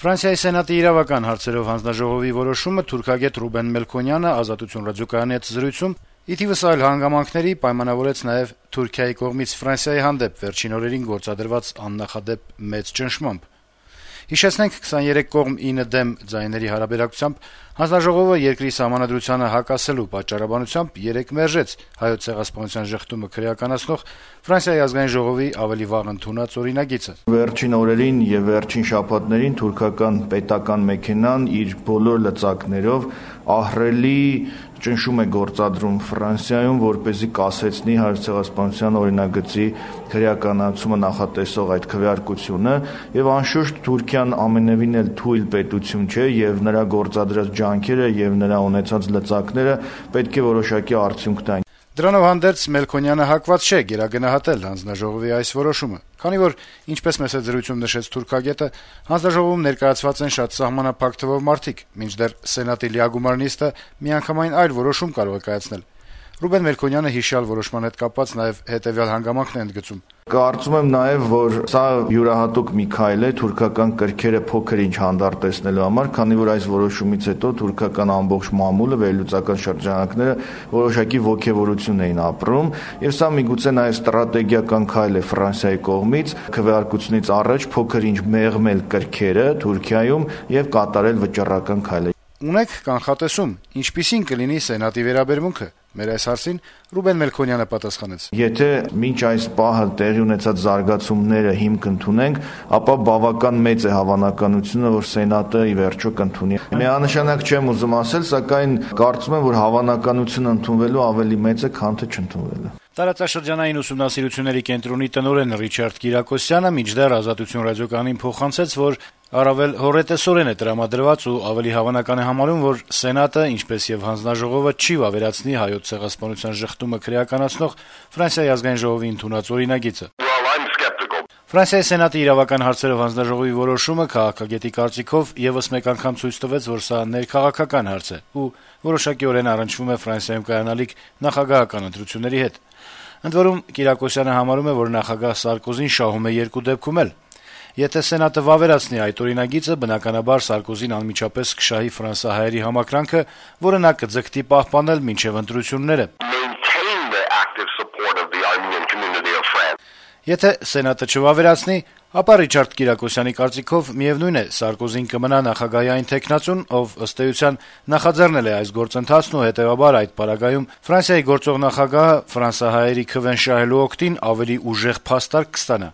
Ֆրանսիայի Սենատի իրավական հարցերով հանձնաժողովի որոշումը թուրքագետ Ռուբեն Մելքոնյանը «Ազատություն» ռադիոկայանի հետ զրույցում ի թիվս այլ հանգամանքների պայմանավորեց նաև Թուրքիայի կողմից Ֆրանսիայի հանդեպ վերջին օրերին գործադրված աննախադեպ մեծ ճնշմամբ։ Հիշեցնենք, 23 կողմ 9 դեմ ձայների հարաբերակցությամբ հանձնաժողովը երկրի սահմանադրությանը հակասելու պատճառաբանությամբ 3 մերժեց Հայոց ցեղասպանության ժխտումը քրեականացնող Ֆրանսիայի ազգային ժողովի ավելի վաղ ընդունած օրինագիծը։ Վերջին օրերին եւ վերջին շաբաթներին թուրքական պետական մեքենան իր բոլոր լծակներով ահռելի ճնշում է գործադրում Ֆրանսիայում, որպեսզի կասեցնի Հայոց ցեղասպանության օրինագծի քրեականացումը նախատեսող այդ քվեարկությունը, եւ անշուշտ Թուրքիան ամենևին էլ թույլ պետություն չէ եւ նրա գործադրած ջանքերը եւ նրա ունեցած լծակները պետք է որոշակի արդյունք տան։ Դրանով հանդերձ Մելքոնյանը հակված չէ գերագնահատել հանձնաժողովի այս որոշումը, քանի որ, ինչպես մեծ զրույցում նշեց թուրքագետը, հանձնաժողովում ներկայացված են շատ սահմանափակ թվով մարդիկ, մինչդեռ Սենատի լիագումար նիստը միանգամայն այլ որոշում կարող է կայացնել։ Ռուբեն Մելքոնյանը հիշյալ որոշման հետ կապված նաև հետևյալ հանգամանքն է ընդգծում. Կարծում եմ նաև, որ սա յուրահատուկ մի քայլ է թուրքական կրքերը փոքր-ինչ հանդարտեցնելու համար, քանի որ այս որոշումից հետո թուրքական ամբողջ մամուլը, վերլուծական շրջանակները որոշակի ոգևորություն էին ապրում, եւ սա միգուցե նաև ստրատեգիական քայլ է Ֆրանսիայի կողմից քվեարկությունից առաջ փոքր-ինչ մեղմել կրքերը Թուրքիայում եւ կատարել վճռական քայլ։ Ունեք կանխատեսում, ինչպիսին կլինի Սենատի վերաբերմունքը։ Մեր այս հարցին Ռուբեն Մելքոնյանը պատասխանեց. Եթե մինչ այս պահը տեղի ունեցած զարգացումները հիմք ընդունենք, ապա բավական մեծ է հավանականությունը, որ Սենատը ի վերջո կընդունի։ Միանշանակ չեմ ուզում ասել, սակայն կարծում եմ, որ հավանականությունը ընդունվելու ավելի մեծ է, քան թե չընդունվելու։ Տարածաշրջանային ուսումնասիրությունների կենտրոնի տնօրեն Ռիչարդ Կիրակոսյանը մինչդեռ «Ազատություն» ռադիոկայանին փոխանցեց, որ առավել հոռետեսորեն է տրամադրված ու ավելի հավանական է համարում, որ Սենատը, ինչպես եւ հանձնաժողովը, չի վավերացնի Հայոց ցեղասպանության ժխտումը քրեականացնող Ֆրանսիայի ազգային ժողովի ընդունած օրինագիծը։ Ֆրանսիայի Սենատի իրավական հարցերով հանձնաժողովի որոշումը քաղաքագետի կարծիքով եւս մեկ անգամ ցույց տվեց, որ սա ներքաղաքական հարց է ու որոշակիորեն առնչվում է Ֆրանսիայում կայանալիք նախագահական ընտրությունների հետ։ Ընդ որում Կիրակոսյանը համարում է, որ նախագահ Սարկոզին շահում է երկու դեպքում էլ։ Եթե Սենատը վավերացնի այդ օրինագիծը, բնականաբար Սարկոզին անմիջապես կշահի ֆրանսահայերի համակրանքը, որը նա կձգտի պահպանել մինչև ընտրությունները։ Եթե Սենատը չվավերացնի, ապա Ռիչարդ Կիրակոսյանի կարծիքով միևնույն է, Սարկոզին կմնա նախագահի այն թեկնածուն, ով ըստ էության նախաձեռնել է այս գործընթացն ու հետեւաբար այդ պարագայում Ֆրանսիայի գործող նախագահը ֆրանսահայերի քվեն շահելու օգտին ավելի ուժեղ փաստարկ կստանա։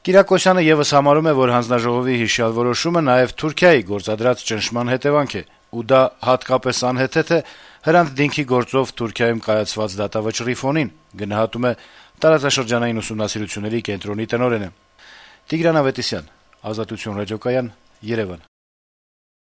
Կիրակոսյանը եւս համարում է, որ հանձնաժողովի հիշյալ որոշումը նաեւ Թուրքիայի գործադրած ճնշման հետևանք է, ու դա հատկապես անհեթեթ է Հրանտ Դինքի գործով Թուրքիայում կայացված դատավճռի ֆոնին, գնահատում է տարածաշրջանային ուսումնասիրությունների կենտրոնի տնօրենը։ Տիգրան Ավետիսյան, Ազատություն ռադիոկայան, Երևան։